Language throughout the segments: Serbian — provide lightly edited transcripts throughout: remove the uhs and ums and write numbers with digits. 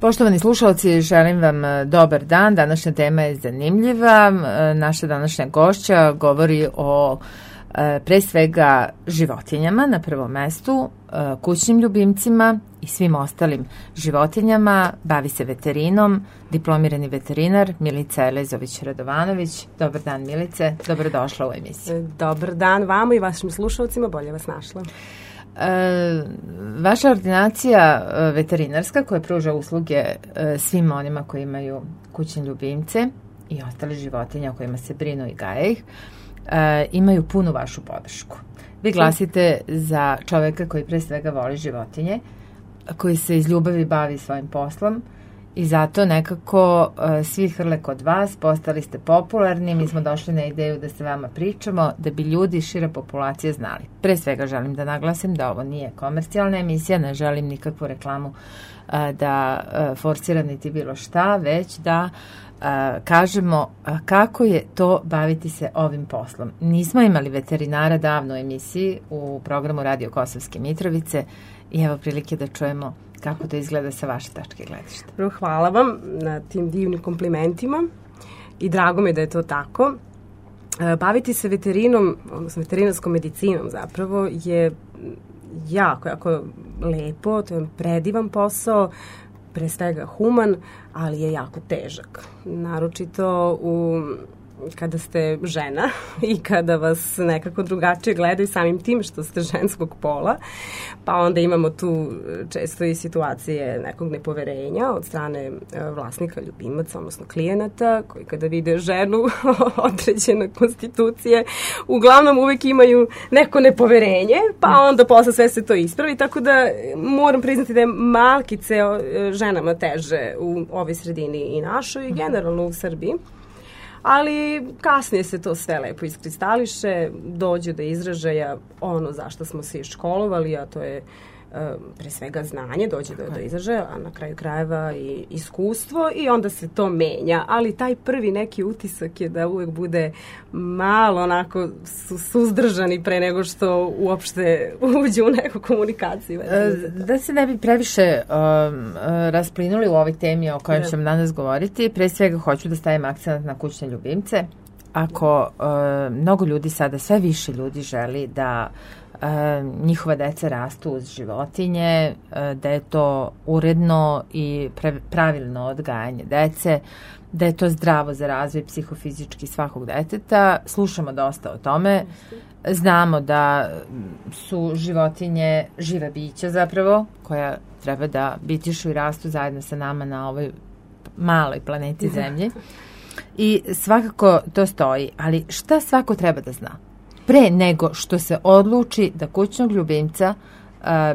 Poštovani slušalci, želim vam dobar dan. Današnja tema je zanimljiva. Naša današnja gošća govori o pre svega životinjama na prvom mestu, kućnim ljubimcima i svim ostalim životinjama. Bavi se veterinom, diplomirani veterinar Milica Elezović-Radovanović. Dobar dan, Milice. Dobrodošla u emisiju. Dobar dan vama i vašim slušalcima. Bolje vas našla. Vaša ordinacija veterinarska koja pruža usluge svim onima koji imaju kućne ljubimce i ostale životinje o kojima se brinu i gaje ih, imaju punu vašu podršku. Vi glasite za čoveka koji pre svega voli životinje, koji se iz ljubavi bavi svojim poslom i zato nekako svi hrle kod vas, postali ste popularni, mi smo došli na ideju da se vama pričamo, da bi ljudi, šira populacija znali. Pre svega želim da naglasim da ovo nije komercijalna emisija, ne želim nikakvu reklamu da forsiram niti bilo šta, već da kažemo kako je to baviti se ovim poslom. Nismo imali veterinara davno u emisiji u programu Radio Kosovske Mitrovice i evo prilike da čujemo kako to izgleda sa vaše tačke gledišta. Hvala vam na tim divnim komplimentima i drago mi je da je to tako. Baviti se veterinom, odnosno veterinarskom medicinom zapravo je jako lepo, to je predivan posao, pre svega human, ali je jako težak. Naročito kada ste žena i kada vas nekako drugačije gledaju samim tim što ste ženskog pola, pa onda imamo tu često i situacije nekog nepoverenja od strane vlasnika, ljubimaca, odnosno klijenata, koji kada vide ženu određene konstitucije, uglavnom uvek imaju neko nepoverenje, pa onda posle sve se to ispravi, tako da moram priznati da je malkice ženama teže u ovoj sredini i našoj i generalno u Srbiji. Ali kasnije se to sve lepo iskristališe, dođe do izražaja ono zašto smo se iškolovali, a to je pre svega znanje, dođe do izražaja, a na kraju krajeva i iskustvo i onda se to menja. Ali taj prvi neki utisak je da uvek bude malo onako suzdržani pre nego što uopšte uđe u neku komunikaciju. Da se ne bi previše rasplinuli u ovoj temi o kojoj ćemo danas govoriti, pre svega hoću da stavim akcent na kućne ljubimce. Ako mnogo ljudi sada, sve više ljudi želi da njihova deca rastu uz životinje, da je to uredno i pravilno odgajanje dece, da je to zdravo za razvoj psihofizički svakog deteta. Slušamo dosta o tome. Znamo da su životinje živa bića zapravo, koja treba da bitišu i rastu zajedno sa nama na ovoj maloj planeti Zemlji. I svakako to stoji, ali šta svako treba da zna? Pre nego što se odluči da kućnog ljubimca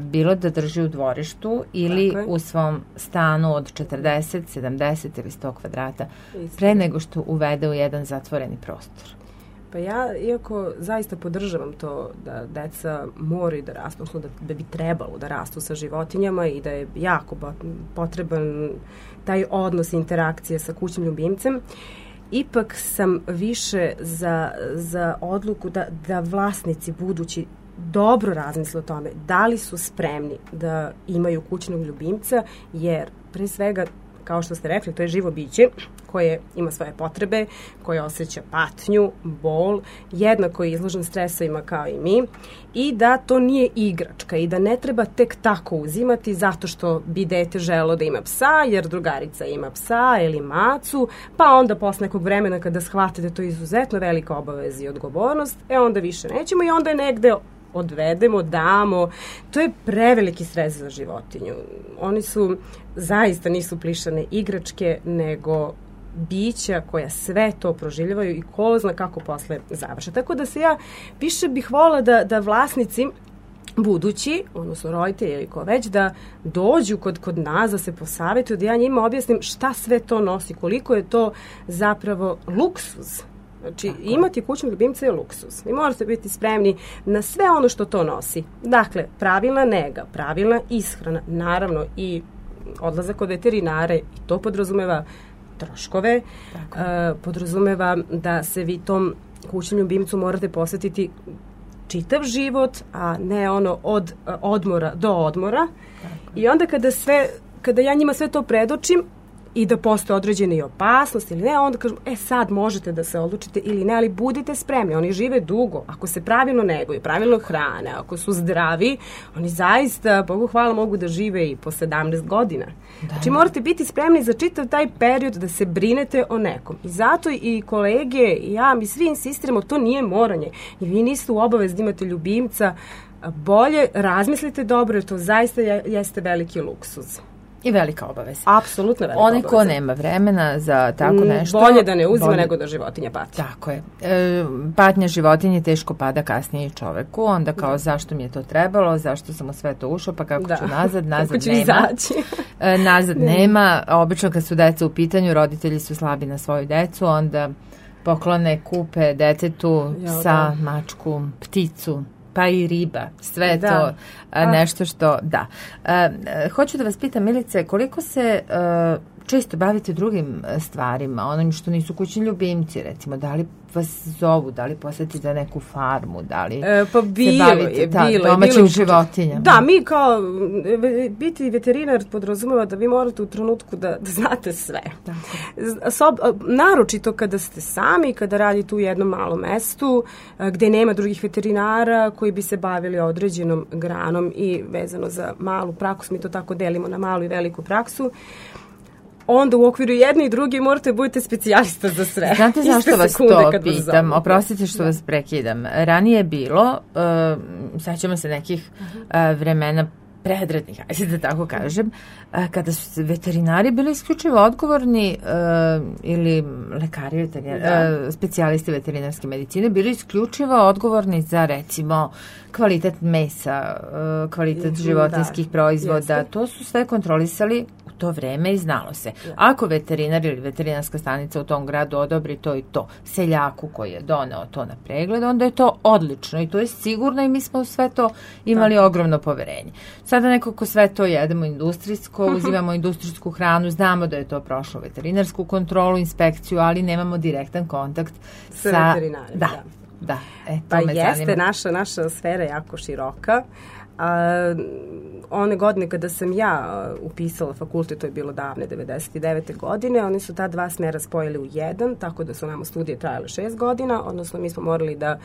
bilo da drži u dvorištu ili u svom stanu od 40, 70 ili 100 kvadrata, pre nego što uvede u jedan zatvoreni prostor. Pa ja, iako zaista podržavam to da deca moraju da rastu, odnosno da bi trebalo da rastu sa životinjama i da je jako potreban taj odnos interakcije sa kućnim ljubimcem, ipak sam više za odluku da vlasnici budući dobro razmisle o tome da li su spremni da imaju kućnog ljubimca, jer pre svega, kao što ste rekli, to je živo biće koje ima svoje potrebe, koje osjeća patnju, bol, jednako je izložen stresovima kao i mi i da to nije igračka i da ne treba tek tako uzimati zato što bi dete želo da ima psa, jer drugarica ima psa ili macu, pa onda posle nekog vremena kada shvate da to je izuzetno velika obaveza i odgovornost, onda više nećemo i onda je negde odvedemo, damo. To je preveliki stres za životinju. Oni zaista nisu plišane igračke, nego bića koja sve to proživljavaju i ko zna kako posle završe. Tako da se ja više bih volila da vlasnici budući, odnosno roditelji ili ko već, da dođu kod nas, da se posavetuju, da ja njima objasnim šta sve to nosi, koliko je to zapravo luksuz. Znači, imati kućnog ljubimca je luksuz. Vi morate biti spremni na sve ono što to nosi. Dakle, pravilna nega, pravilna ishrana, naravno i odlazak kod veterinare, i to podrazumeva troškove, podrazumeva da se vi tom kućnom ljubimcu morate posvetiti čitav život, a ne ono od odmora do odmora. I onda kada sve kada ja njima sve to predočim i da postoje određene i opasnosti ili ne, onda kažem, sad možete da se odlučite ili ne, ali budite spremni, oni žive dugo, ako se pravilno neguju, pravilno hrane, ako su zdravi, oni zaista, Bogu hvala, mogu da žive i po 17 godina. Znači morate biti spremni za čitav taj period da se brinete o nekom. I zato i kolege i ja, mi svi insistiramo, to nije moranje. I vi niste u obavezi da imate ljubimca, bolje razmislite dobro, jer to zaista jeste veliki luksuz. I velika obaveza. Apsolutno velika obaveza. Onaj ko nema vremena za tako nešto... Bolje da ne uzima nego da životinja pati. Tako je. Patnja životinje teško pada kasnije i čoveku, onda kao zašto mi je to trebalo, zašto sam u sve to ušao, pa kako ću nazad kako ću nema. Izaći. Nazad nema. Obično kad su deca u pitanju, roditelji su slabi na svoju decu, onda poklone, kupe detetu psa, mačku, pticu, pa i riba, sve to nešto što, hoću da vas pitam, Milice, koliko se često bavite drugim stvarima, onim što nisu kućni ljubimci, recimo, da li vas zovu, da li posjetite neku farmu, da li se bavite domaćim životinjama? Da, mi kao biti veterinar podrazumeva da vi morate u trenutku da znate sve. Naročito kada ste sami, kada radite u jednom malom mestu, gde nema drugih veterinara koji bi se bavili određenom granom i vezano za malu praksu, mi to tako delimo na malu i veliku praksu, onda u okviru jedne i druge morate budete specijalista za sve. Znate zašto vas to pitam? Oprostite što vas prekidam. Ranije je bilo, sećamo se nekih vremena predratnih, ajde da tako kažem, kada su veterinari bili isključivo odgovorni ili lekari, specijalisti veterinarske medicine, bili isključivo odgovorni za, recimo, kvalitet mesa, kvalitet životinskih proizvoda. Jeste. To su sve kontrolisali to vreme i znalo se. Ako veterinar ili veterinarska stanica u tom gradu odobri to i to seljaku koji je doneo to na pregled, onda je to odlično i to je sigurno i mi smo sve to imali ogromno poverenje. Sada nekako sve to jedemo industrijsko, uzimamo industrijsku hranu, znamo da je to prošlo veterinarsku kontrolu, inspekciju, ali nemamo direktan kontakt sa veterinarima. Da. Pa jeste, naša sfera jako široka. One godine kada sam ja upisala fakultet, to je bilo davne 99. godine, oni su ta dva smera spojili u jedan, tako da su nama studije trajale 6 godina, odnosno mi smo morali da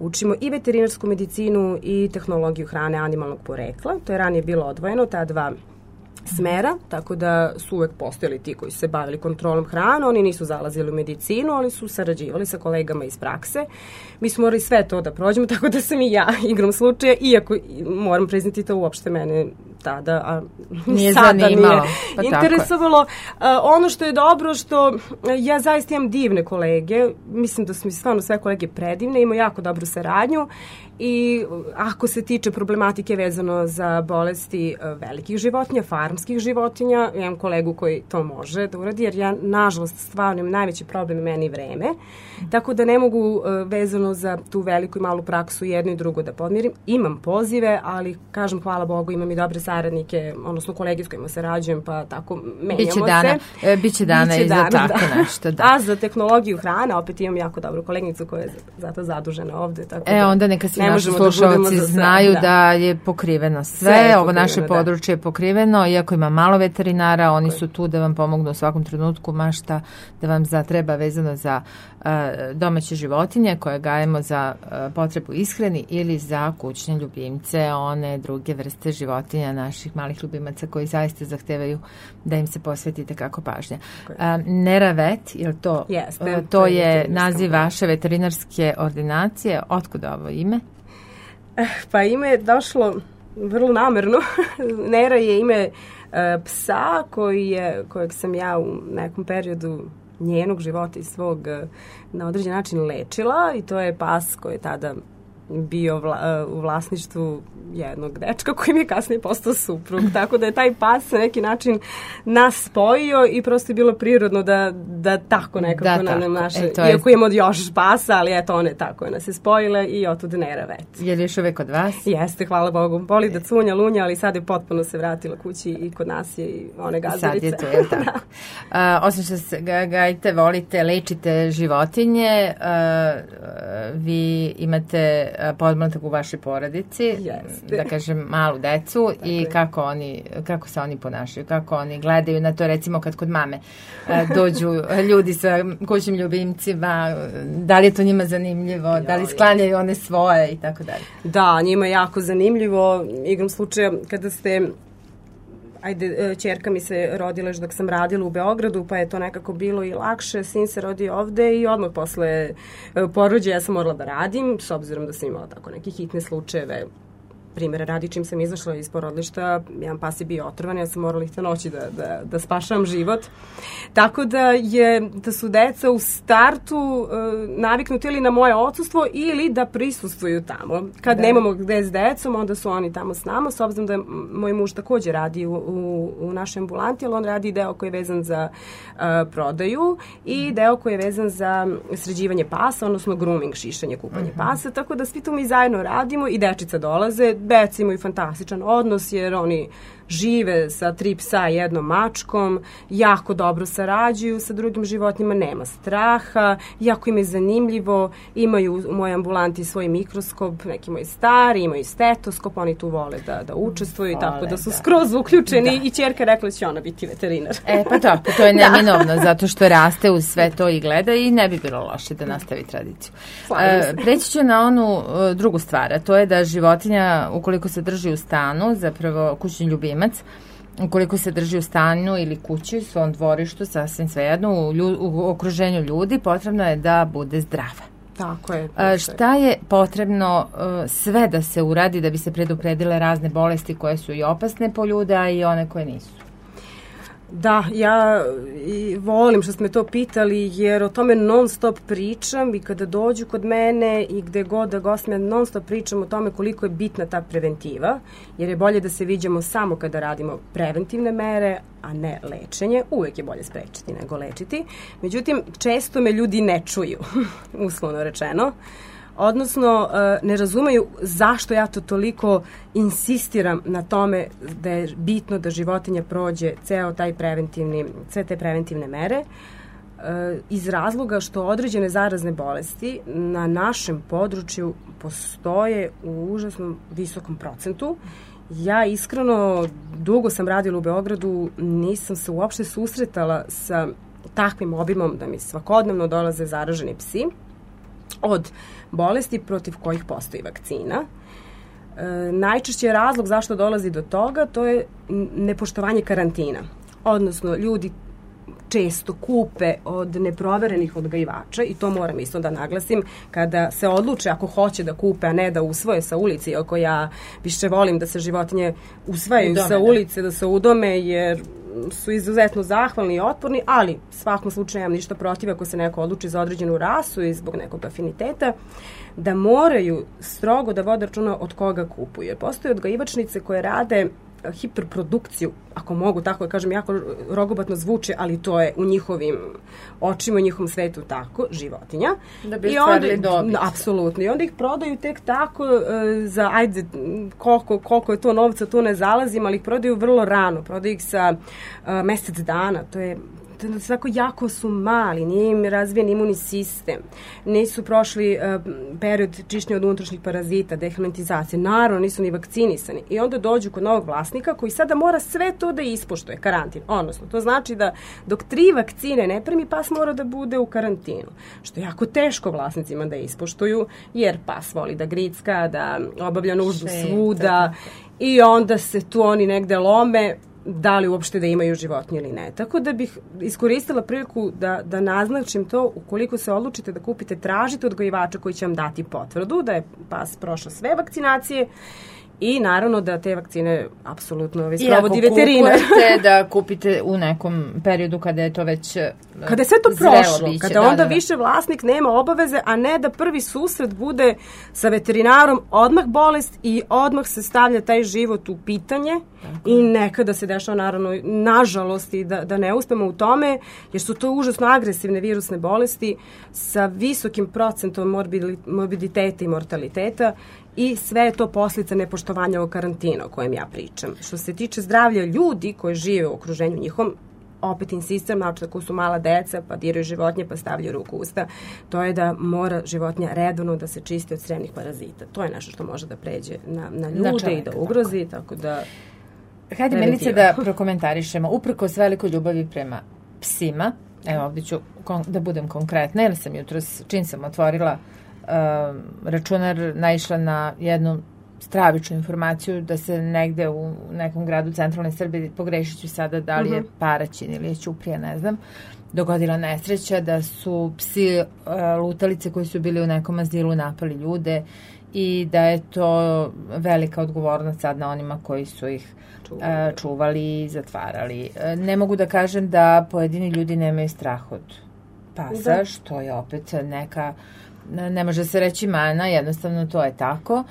učimo i veterinarsku medicinu i tehnologiju hrane animalnog porekla. To je ranije bilo odvojeno, ta dva smera, tako da su uvek postojali ti koji su se bavili kontrolom hrane, oni nisu zalazili u medicinu, ali su sarađivali sa kolegama iz prakse. Mi smo morali sve to da prođemo, tako da sam i ja igrom slučaja, iako moram priznati to uopšte mene tada, nije sada zanimalo. Nije interesovalo. Ono što je dobro, što ja zaista imam divne kolege, mislim da su mi stvarno sve kolege predivne, imamo jako dobru saradnju i ako se tiče problematike vezano za bolesti velikih životinja, farmskih životinja, imam kolegu koji to može da uradi, jer ja, nažalost, stvarno imam najveći problem meni vreme, tako da ne mogu vezano za tu veliku i malu praksu jedno i drugo da podmirim. Imam pozive, ali kažem, hvala Bogu, imam i dobre saradnike, odnosno kolege s kojima sarađujem, pa tako menjamo se. Biće dana i za tako nešto. Da. A za tehnologiju hrane, opet imam jako dobru kolegnicu koja je zato zadužena ovde. Tako onda neka svi naši slušalci znaju da je pokriveno sve. Ovo naše područje je pokriveno, iako ima malo veterinara, oni su tu da vam pomognu u svakom trenutku, mašta da vam treba vezano za domaće životinje koje gajemo za potrebu ishrani ili za kućne ljubimce, one druge vrste životinja, naših malih ljubimaca koji zaista zahtevaju da im se posvetite kako pažnja. Neravet, je li to? Jeste, to je naziv vaše veterinarske ordinacije. Otkud ovo ime? Pa ime je došlo vrlo namerno. Nera je ime psa kojeg sam ja u nekom periodu njenog života i svog na određen način lečila i to je pas koji je tada bio u vlasništvu jednog dečka koji mi je kasnije postao suprug. Tako da je taj pas na neki način nas spojio i prosto je bilo prirodno da tako nekako na naše... Iako imamo još pasa, ali eto one tako je nas je spojile i otud Neravet. Je li još uvek kod vas? Jeste, hvala Bogu. Boli da cunja, lunja, ali sad je potpuno se vratila kući i kod nas je i one gazarice. Sad je to, je tako. Osim što se gajite, volite, lečite životinje, vi imate podmlatak u vašoj porodici, da kažem malu decu i kako se oni ponašaju, kako oni gledaju na to, recimo kad kod mame dođu ljudi sa kućnim ljubimcima, da li je to njima zanimljivo, da li sklanjaju one svoje i tako dalje. Da, njima je jako zanimljivo, igrom slučaja kada ste ćerka mi se rodila još dok sam radila u Beogradu, pa je to nekako bilo i lakše, sin se rodio ovde i odmah posle porođaja ja sam morala da radim, s obzirom da sam imala tako neke hitne slučajeve. Primjera radi, čim sam izašla iz porodilišta, jedan pas je bio otrovan, ja sam morala ih te noći da spašavam život. Tako da su deca u startu naviknuti ili na moje odsustvo ili da prisustvuju tamo. Kad nemamo gde s decom, onda su oni tamo s nama, s obzirom da moj muž takođe radi u našoj ambulanti, ali on radi deo koji je vezan za prodaju i deo koji je vezan za sređivanje pasa, odnosno grooming, šišanje, kupanje pasa, tako da svi to mi zajedno radimo i dečica dolaze. Deca imaju fantastičan odnos jer oni žive sa 3 psa i 1 mačkom, jako dobro sarađuju sa drugim životinjama, nema straha, jako im je zanimljivo, imaju u mojoj ambulanti svoj mikroskop, neki moji stari, imaju stetoskop, oni tu vole da učestvuju i tako da su skroz uključeni i ćerka rekla će ona biti veterinar. Pa to je neminovno, zato što raste uz sve to i gleda i ne bi bilo loše da nastavi tradiciju. Preći ću na onu drugu stvar, a to je da životinja, ukoliko se drži u stanu, zapravo kućni ljubimac, ukoliko se drži u stanu ili kući, u svom dvorištu, sasvim svejedno, u okruženju ljudi, potrebno je da bude zdrava. Tako je. Šta je potrebno sve da se uradi da bi se predupredile razne bolesti koje su i opasne po ljude, a i one koje nisu? Da, ja volim što ste me to pitali jer o tome non stop pričam i kada dođu kod mene i gde god da gostim, ja non stop pričam o tome koliko je bitna ta preventiva, jer je bolje da se viđamo samo kada radimo preventivne mere, a ne lečenje. Uvek je bolje sprečiti nego lečiti. Međutim, često me ljudi ne čuju, uslovno rečeno. Odnosno, ne razumeju zašto ja to toliko insistiram na tome da je bitno da životinja prođe sve te preventivne mere, iz razloga što određene zarazne bolesti na našem području postoje u užasno visokom procentu. Ja iskreno, dugo sam radila u Beogradu, nisam se uopšte susretala sa takvim obimom da mi svakodnevno dolaze zaraženi psi od bolesti protiv kojih postoji vakcina. Najčešći je razlog zašto dolazi do toga, to je nepoštovanje karantina. Odnosno, ljudi često kupe od neproverenih odgajivača i to moram isto da naglasim, kada se odluče ako hoće da kupe, a ne da usvoje sa ulici, iako ja više volim da se životinje usvajaju sa ulice, da se udome, jer su izuzetno zahvalni i otporni, ali svakom slučaju nemam ništa protiv ako se neko odluči za određenu rasu i zbog nekog afiniteta, da moraju strogo da vode računa od koga kupuju. Jer postoje odgajivačnice koje rade hiperprodukciju, ako mogu tako da kažem, jako rogobatno zvuče, ali to je u njihovim očima, u njihovom svetu tako, životinja. Da bi stvarili dobit. Apsolutno. I onda ih prodaju tek tako za, ajde, koliko je to novca, tu ne zalazim, ali ih prodaju vrlo rano. Prodaju ih sa mesec dana, to je svako jako su mali, nije im razvijen imunni sistem, nisu prošli period čišćenja od unutrašnjih parazita, dehelmintizacije, naravno nisu ni vakcinisani i onda dođu kod novog vlasnika koji sada mora sve to da ispoštuje, karantin, odnosno to znači da dok 3 vakcine ne primi, pas mora da bude u karantinu, što je jako teško vlasnicima da ispoštuju, jer pas voli da gricka, da obavlja nuždu svuda i onda se tu oni negde lome, da li uopšte da imaju životinje ili ne. Tako da bih iskoristila priliku da naznačim to, ukoliko se odlučite da kupite, tražite odgajivača koji će vam dati potvrdu da je pas prošao sve vakcinacije i naravno da te vakcine apsolutno sprovodi veterinar. I ako kupujete, da kupite u nekom periodu kada je to već kada je sve to prošlo, kada onda više vlasnik nema obaveze, a ne da prvi susret bude sa veterinarom odmah bolest i odmah se stavlja taj život u pitanje. Tako. I nekada se dešava naravno, nažalost, i da ne uspemo u tome, jer su to užasno agresivne virusne bolesti sa visokim procentom morbiditeta i mortaliteta i sve je to posljedica nepoštovanja ovog karantina o kojem ja pričam. Što se tiče zdravlja ljudi koji žive u okruženju njihovom, opet insistiram, znači ako su mala deca, pa diraju životinje, pa stavljaju ruku u usta, to je da mora životinja redovno da se čisti od crevnih parazita. To je nešto što može da pređe na ljude čovjeka, i da ugrozi, tako da... Hajde, Milice, da prokomentarišemo. Uprkos velikoj ljubavi prema psima, evo ovdje ću da budem konkretna, jer sam jutros, čim sam otvorila računar, naišla na jednu stravičnu informaciju da se negde u nekom gradu centralne Srbije, pogrešit ću sada da li je Paraćin ili je Ćuprija, ne znam, dogodila nesreća da su psi lutalice koji su bili u nekom azilu napali ljude i da je to velika odgovornost sad na onima koji su ih čuvali i zatvarali. Ne mogu da kažem da pojedini ljudi nemaju strah od pasa, što je opet neka, ne može se reći mana, jednostavno to je tako.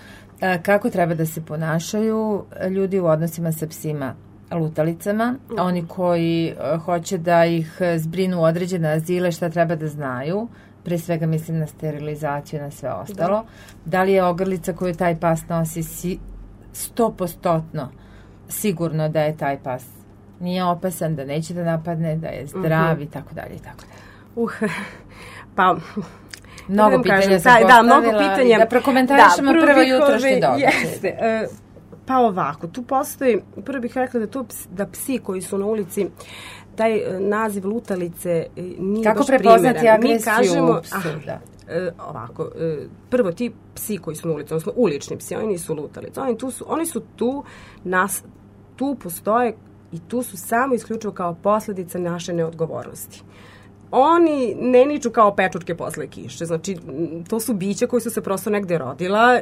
Kako treba da se ponašaju ljudi u odnosima sa psima lutalicama, oni koji hoće da ih zbrinu u određene azile, šta treba da znaju, pre svega mislim na sterilizaciju, na sve ostalo. Da li je ogrlica koju taj pas nosi 100% sigurno da je taj pas nije opasan, da neće da napadne, da je zdrav i tako dalje i tako dalje. Pa... Mnogo pitanja sam postavila i da prokomentarišemo prvo jutrošnji događaj. Pa ovako, tu postoji, prvo bih rekla da psi koji su na ulici, taj naziv lutalice nije kako baš primjeren. Kako prepoznati agresiju u psu? Ovako, prvo ti psi koji su na ulici, odnosno ulični psi, oni nisu lutalice, oni su tu, tu postoje i tu su samo isključivo kao posljedica naše neodgovornosti. Oni ne niču kao pečurke posle kiše, znači to su bića koji su se prosto negde rodila,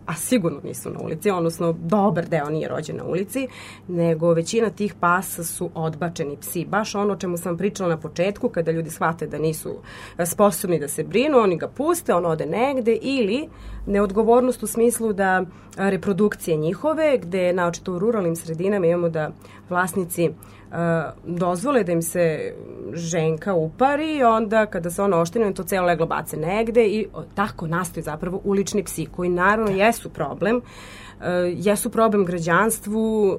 a sigurno nisu na ulici, odnosno dobar deo nije rođen na ulici, nego većina tih pasa su odbačeni psi, baš ono o čemu sam pričala na početku, kada ljudi shvate da nisu sposobni da se brinu, oni ga puste, on ode negde, ili neodgovornost u smislu da reprodukcije njihove, gde naočito u ruralnim sredinama imamo da vlasnici dozvole da im se ženka upari, onda kada se ona oštine, to celo leglo bace negde i tako nastaju zapravo ulični psi, koji naravno jesu problem građanstvu,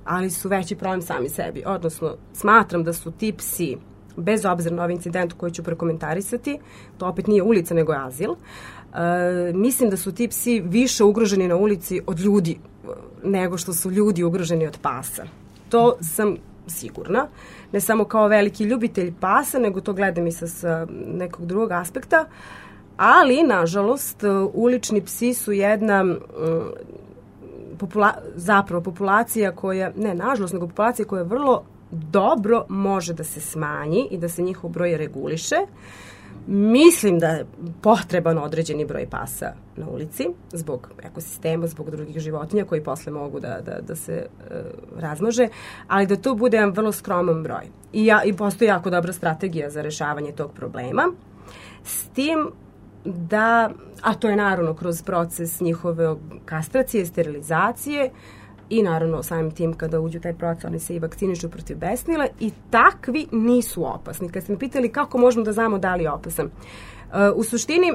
ali su veći problem sami sebi. Odnosno, smatram da su ti psi, bez obzira na ovaj incident koji ću prokomentarisati, to opet nije ulica nego je azil, mislim da su ti psi više ugroženi na ulici od ljudi nego što su ljudi ugroženi od pasa. To sam sigurna. Ne samo kao veliki ljubitelj pasa, nego to gledam i sa nekog drugog aspekta. Ali, nažalost, ulični psi su jedna populacija koja, ne nažalost, nego populacija koja vrlo dobro može da se smanji i da se njihov broj reguliše. Mislim da je potreban određeni broj pasa na ulici, zbog ekosistema, zbog drugih životinja koji posle mogu da se razmnože, ali da to bude jedan vrlo skroman broj. I postoji jako dobra strategija za rešavanje tog problema. S tim da, a to je naravno kroz proces njihove kastracije, sterilizacije, i naravno samim tim kada uđu taj proces oni se i vakcinišu protiv besnila i takvi nisu opasni. Kad ste me pitali kako možemo da znamo da li je opasan, u suštini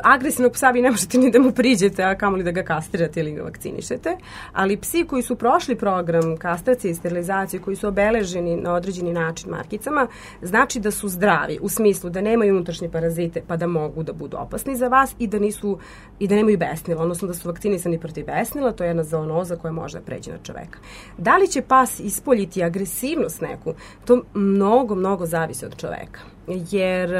agresivnog psa vi ne možete ni da mu priđete, a kamoli da ga kastrirate ili ga vakcinišete, ali psi koji su prošli program kastracije i sterilizacije, koji su obeleženi na određeni način markicama, znači da su zdravi, u smislu da nemaju unutrašnje parazite pa da mogu da budu opasni za vas i da nemaju besnila, odnosno da su vakcinisani protiv besnila, to je jedna zoonoza koja može da pređe na čoveka. Da li će pas ispoljiti agresivnost neku? To mnogo zavisi od čoveka, jer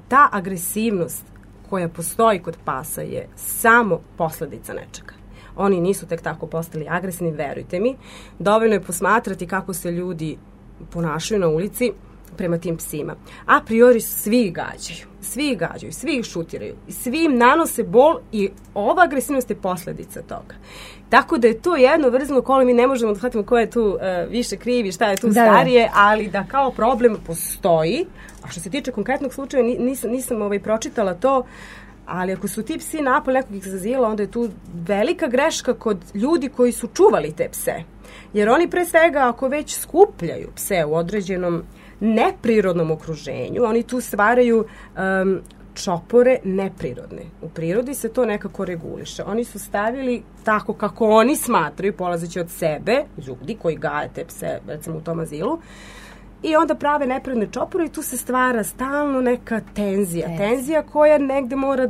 ta agresivnost koja postoji kod pasa je samo posledica nečega. Oni nisu tek tako postali agresivni, verujte mi. Dovoljno je posmatrati kako se ljudi ponašaju na ulici prema tim psima. A priori svi ih gađaju, svi ih šutiraju, svi im nanose bol i ova agresivnost je posledica toga. Tako da je to jedno vrzno kolo, mi ne možemo da shvatimo ko je tu više krivi, šta je tu starije, ali da kao problem postoji. A što se tiče konkretnog slučaja, nisam pročitala to, ali ako su ti psi napali nekog iz azila, onda je tu velika greška kod ljudi koji su čuvali te pse. Jer oni pre svega, ako već skupljaju pse u određenom neprirodnom okruženju, oni tu stvaraju čopore neprirodne. U prirodi se to nekako reguliše. Oni su stavili tako kako oni smatraju, polazeći od sebe, ljudi koji gaje te pse, recimo u tom azilu, i onda prave nepravedne čopore i tu se stvara stalno neka tenzija koja negde mora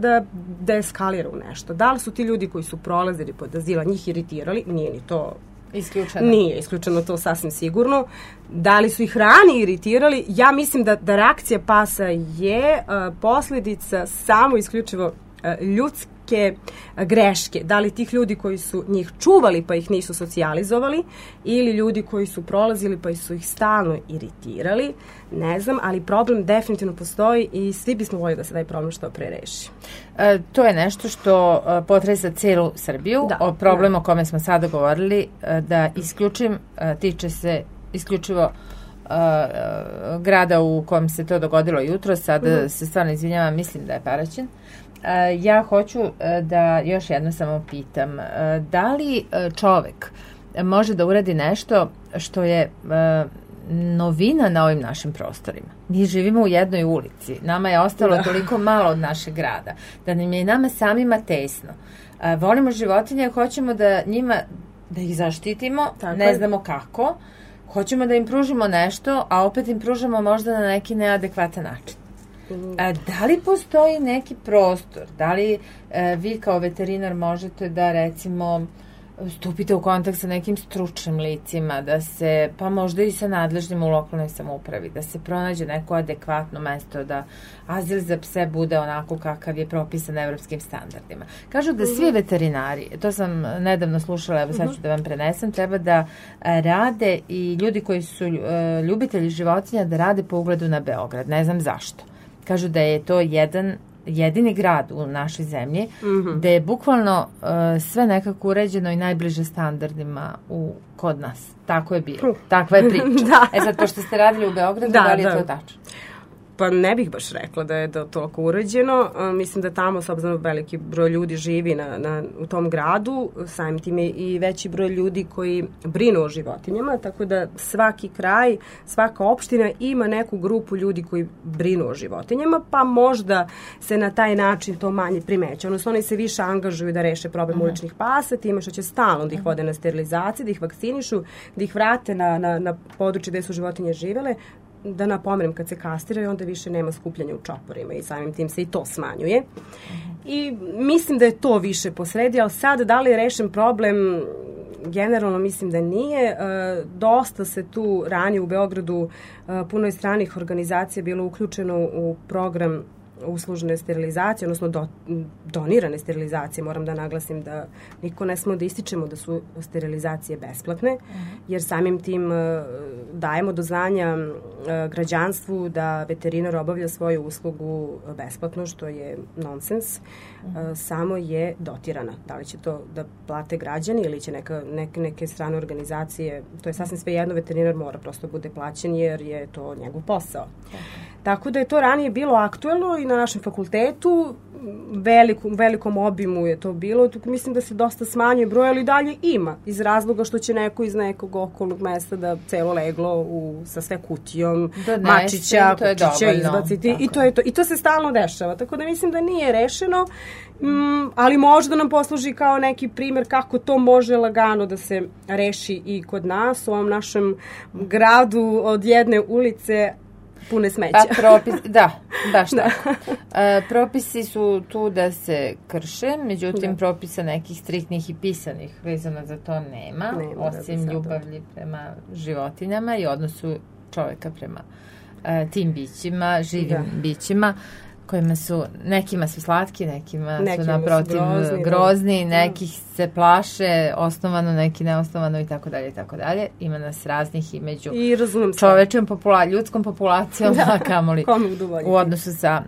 da eskalira u nešto. Da li su ti ljudi koji su prolazili pod azila njih iritirali? Nije ni to isključeno. Nije isključeno to sasvim sigurno. Da li su ih rani iritirali? Ja mislim da reakcija pasa je posledica samo isključivo ljudske greške. Da li tih ljudi koji su njih čuvali pa ih nisu socijalizovali ili ljudi koji su prolazili pa su ih stalno iritirali, ne znam, ali problem definitivno postoji i svi bismo voljeli da se taj problem što pre reši. To je nešto što potresa celu Srbiju. O problemu o kome smo sada govorili, da isključim, tiče se isključivo grada u kojem se to dogodilo jutro. Sada se stvarno izvinjavam, mislim da je Paraćin. Ja hoću da još jedno samo pitam, da li čovek može da uradi nešto što je novina na ovim našim prostorima? Mi živimo u jednoj ulici, nama je ostalo toliko malo od našeg grada, da nam je nama samima tesno. Volimo životinje, hoćemo da ih zaštitimo, ne znamo kako, hoćemo da im pružimo nešto, a opet im pružamo možda na neki neadekvatan način. Da li postoji neki prostor? Da li vi kao veterinar možete da recimo stupite u kontakt sa nekim stručnim licima, da se, pa možda i sa nadležnim u lokalnoj samoupravi, da se pronađe neko adekvatno mesto, da azil za pse bude onako kakav je propisan evropskim standardima. Kažu da svi veterinari, to sam nedavno slušala, evo sad ću da vam prenesem, treba da rade i ljudi koji su ljubitelji životinja da rade po ugledu na Beograd. Ne znam zašto. Kažu da je to jedini grad u našoj zemlji gde je bukvalno sve nekako uređeno i najbliže standardima kod nas. Tako je bilo. Takva je priča. Sad, pošto ste radili u Beogradu, da li je to tačno? Pa ne bih baš rekla da je toliko uređeno. Mislim da tamo, s obzirom veliki broj ljudi živi u tom gradu, samim tim je i veći broj ljudi koji brinu o životinjama, tako da svaki kraj, svaka opština ima neku grupu ljudi koji brinu o životinjama, pa možda se na taj način to manje primeće. Odnosno, oni se više angažuju da reše problem uličnih pasa, time što će stalno da ih vode na sterilizaciju, da ih vakcinišu, da ih vrate na područje gde su životinje živele. Da napomenem, kad se kastiraju, onda više nema skupljanja u čoporima i samim tim se i to smanjuje. I mislim da je to više posredi, ali sad da li je rešen problem, generalno mislim da nije. Dosta se tu ranije u Beogradu puno je stranih organizacija bilo uključeno u program uslužene sterilizacije, odnosno donirane sterilizacije. Moram da naglasim da niko ne smo da ističemo da su sterilizacije besplatne, jer samim tim dajemo do znanja građanstvu da veterinar obavlja svoju uslugu besplatno, što je nonsens. Samo je dotirana. Da li će to da plate građani ili će neke strane organizacije, to je sasvim sve jedno, veterinar mora prosto bude plaćen jer je to njegov posao. Tako da je to ranije bilo aktuelno i na našem fakultetu, velikom obimu je to bilo. Mislim da se dosta smanjuje broj, ali dalje ima, iz razloga što će neko iz nekog okolnog mesta da celo leglo sa sve kutijom, mačića, kučića izbaciti i to je to. I to se stalno dešava, tako da mislim da nije rešeno, ali možda nam posluži kao neki primer kako to može lagano da se reši i kod nas, u ovom našem gradu od jedne ulice pune smeća. Baš tako. Propisi su tu da se krše, međutim propisa nekih striktnih i pisanih vezano za to nema osim ljubavi prema životinjama i odnosu čoveka prema tim bićima, živim bićima, kojima su, nekima su slatki, nekima su naprotiv grozni, nekih se plaše osnovano, neki neosnovano i tako dalje i tako dalje. Ima nas raznih i među čovečom ljudskom populacijom, a kamoli u odnosu sa...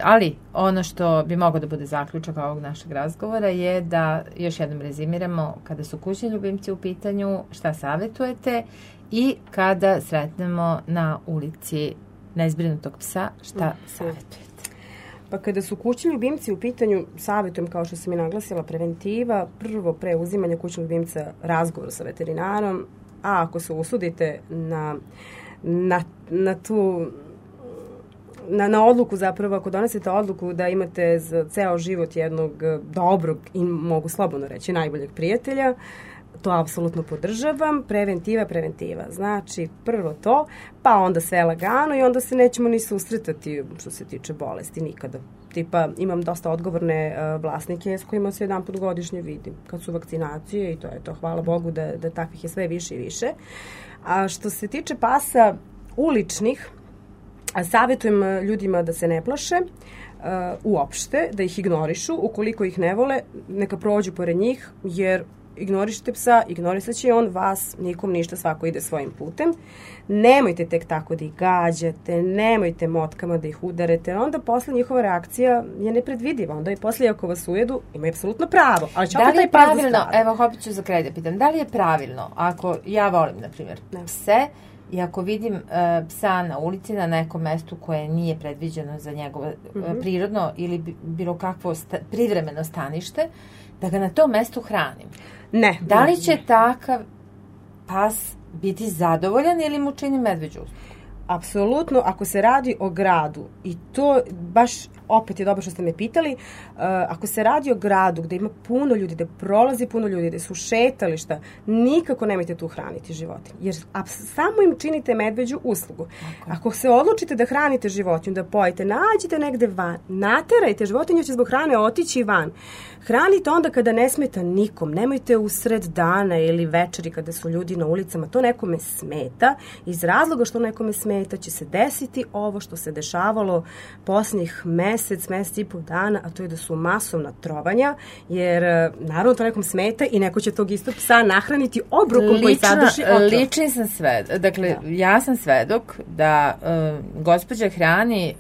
Ali ono što bi moglo da bude zaključak ovog našeg razgovora je da još jednom rezimiramo kada su kućni ljubimci u pitanju, šta savjetujete i kada sretnemo na ulici nezbrinutog psa, šta savjetujete? Pa kada su kućni ljubimci u pitanju, savjetujem, kao što sam i naglasila, preventiva, prvo pre uzimanja kućnog ljubimca razgovor sa veterinarom, a ako se usudite na odluku, zapravo ako donesete odluku da imate za ceo život jednog dobrog i mogu slobodno reći najboljeg prijatelja, to apsolutno podržavam. Preventiva. Znači, prvo to, pa onda sve lagano i onda se nećemo ni susretati što se tiče bolesti nikada. Tipa, imam dosta odgovorne vlasnike s kojima se jedan put godišnje vidim kad su vakcinacije i to je to. Hvala Bogu da takvih je sve više i više. A što se tiče pasa uličnih, savjetujem ljudima da se ne plaše uopšte, da ih ignorišu. Ukoliko ih ne vole, neka prođu pored njih, jer ignorišite psa, ignorisat će on vas, nikom ništa, svako ide svojim putem. Nemojte tek tako da ih gađate, nemojte motkama da ih udarete, onda posle njihova reakcija je nepredvidiva. Onda i posle ako vas ujedu, imaju apsolutno pravo. Ali da li je pravilno, evo opet ću za kraj da pitam, da li je pravilno, ako ja volim, na primjer, pse, i ako vidim psa na ulici na nekom mestu koje nije predviđeno za njegovo prirodno ili bilo kakvo privremeno stanište, da ga na tom mestu hranim. Ne. Da li će takav pas biti zadovoljan ili mu čini medveđu uslugu? Apsolutno, ako se radi o gradu, i to baš opet je dobro što ste me pitali, ako se radi o gradu gde ima puno ljudi, gde prolazi puno ljudi, gde su šetališta, nikako nemojte tu hraniti životinje. Jer samo im činite medveđu uslugu. Okay. Ako se odlučite da hranite životinju, da pojete, nađite negde van, naterajte, životinja će zbog hrane otići van. Hranite onda kada ne smeta nikom. Nemojte usred dana ili večeri kada su ljudi na ulicama. To nekome smeta. Iz razloga što nekome smeta će se desiti ovo što se dešavalo posljednjih mesec i pol dana, a to je da su masovna trovanja, jer naravno to nekom smeta i neko će tog istog psa nahraniti obrokom koji sadrži otrov. Lični sam svedok. Dakle, ja sam svedok da gospođa hrani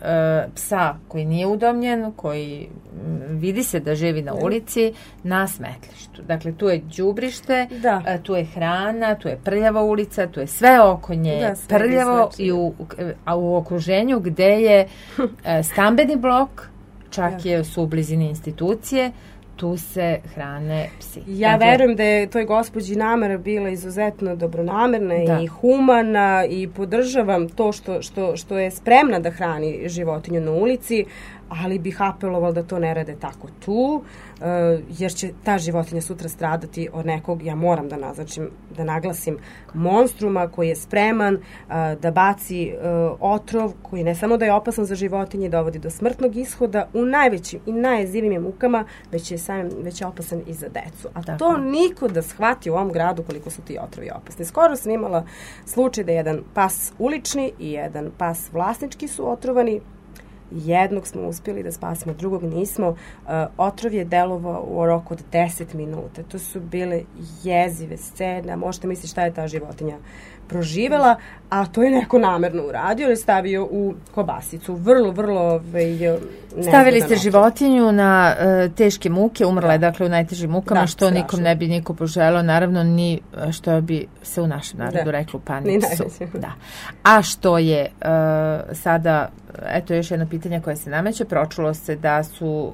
psa koji nije udomljen, koji vidi se da živi na ulici, na smetlištu. Dakle, tu je đubrište, tu je hrana, tu je prljava ulica, tu je sve oko nje prljavo i u okruženju gde je stambeni blok, čak je su u blizini institucije, tu se hrane psi. Ja verujem da je toj gospođi namera bila izuzetno dobronamerna i humana i podržavam to što je spremna da hrani životinju na ulici, ali bih apelovala da to ne rade tako tu, jer će ta životinja sutra stradati od nekog, ja moram da naglasim, monstruma koji je spreman da baci otrov koji ne samo da je opasan za životinje i dovodi do smrtnog ishoda u najvećim i najjezivijim mukama, već je opasan i za decu. A to niko da shvati u ovom gradu koliko su ti otrovi opasni. Skoro sam imala slučaj da jedan pas ulični i jedan pas vlasnički su otrovani. Jednog smo uspjeli da spasimo, drugog nismo. Otrov je delovao u roku od 10 minuta. To su bile jezive scene. Možete misliti šta je ta životinja proživela, a to je neko namerno uradio ili stavio u kobasicu. Vrlo stavili ste životinju na teške muke, umrla je dakle u najtežim mukama, što nikom ne bi niko poželao, naravno ni što bi se u našem narodu reklo u panicu. A što je sada, eto još jedno pitanje koje se nameće, pročulo se da su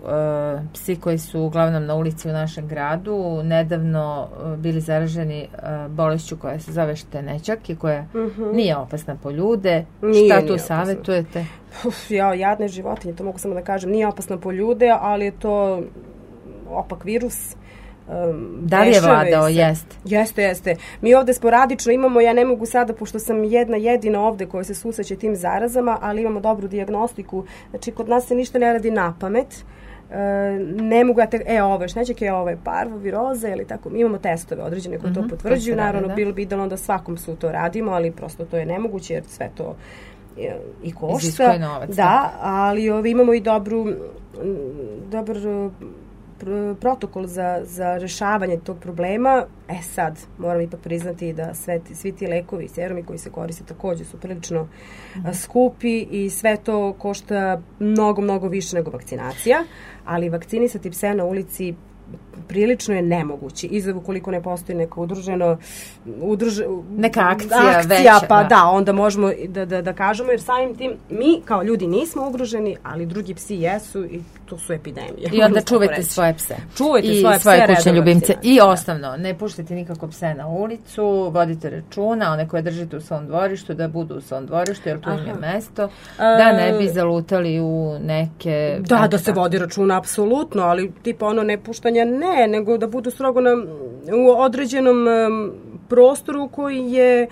psi koji su uglavnom na ulici u našem gradu nedavno bili zaraženi bolešću koja se zove štenećak i koja nije opasna po ljude. Šta tu savjetujete? Jadne životinje, to mogu samo da kažem, nije opasna po ljude, ali je to opak virus. Da li je vladao? Jeste. Mi ovde sporadično imamo, ja ne mogu sada, pošto sam jedina ovde koja se susreće tim zarazama, ali imamo dobru dijagnostiku. Znači, kod nas se ništa ne radi na pamet. Ne mogu ovo je šnećak, ovo je parvoviroza ili tako. Imamo testove određene koje to potvrđuju. Naravno, bilo bi idealno da svakom su to radimo, ali prosto to je nemoguće jer sve to i košta. Iziskuje novac. Da, ali imamo i dobar protokol za rešavanje tog problema. Sad, moram ipak priznati da svi ti lekovi i serumi koji se koriste također su prilično skupi i sve to košta mnogo više nego vakcinacija, ali vakcinisati pse na ulici prilično je nemoguće. Izgled ukoliko ne postoji neko neka akcija veća. Pa onda možemo da kažemo, jer samim tim mi kao ljudi nismo ugroženi, ali drugi psi jesu i to su epidemije. I onda čuvajte svoje pse. I svoje kućne ljubimce. I osnovno, ne puštajte nikako pse na ulicu, vodite računa, one koje držite u svom dvorištu, da budu u svom dvorištu, jer tu im je mesto, da ne bi zalutali u neke... Da se vodi računa, apsolutno, ali tipa ne puštanje nego da budu strogo u određenom prostoru koji je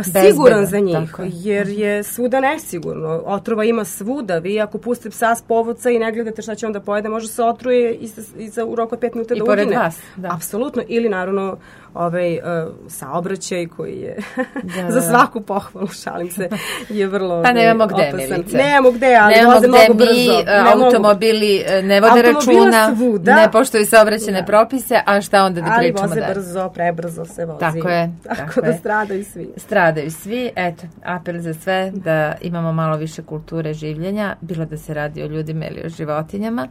siguran za njih, jer je svuda nesigurno. Otrova ima svuda. Vi ako pustite psa s povodca i ne gledate šta će on da pojede, može se otruje u roku od 5 minuta da ugine. I pored vas. Da. Apsolutno. Ili naravno saobraćaj koji je za svaku pohvalu, šalim se, je vrlo pa nemamo gde, Milice. Nemamo gde, ali voze mnogo brzo. Automobili ne vode računa, svuda. Ne poštuju saobraćajne propise, a šta onda da pričamo dalje? Ali voze brzo, prebrzo se vozi. Tako je. Tako da stradaju svi. Stradaju svi. Eto, apel za sve da imamo malo više kulture življenja, bilo da se radi o ljudima ili o životinjama.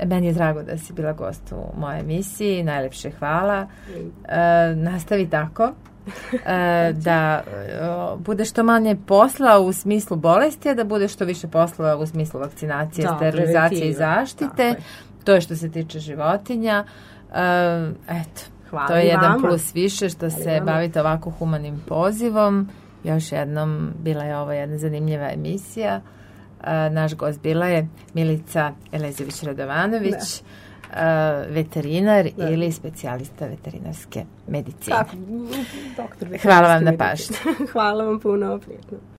Meni je drago da si bila gost u mojoj emisiji. Najlepše hvala. Nastavi tako. Da bude što manje posla u smislu bolesti, a da bude što više posla u smislu vakcinacije, sterilizacije i zaštite. To je što se tiče životinja. Eto, hvala, to je jedan plus više što se bavite ovako humanim pozivom. Još jednom, bila je ovo jedna zanimljiva emisija. Naš gost bila je Milica Elezović-Radovanović, veterinar ili specijalista veterinarske medicine. Doktor Hvala vam na pažnji. Hvala vam puno, prijetno.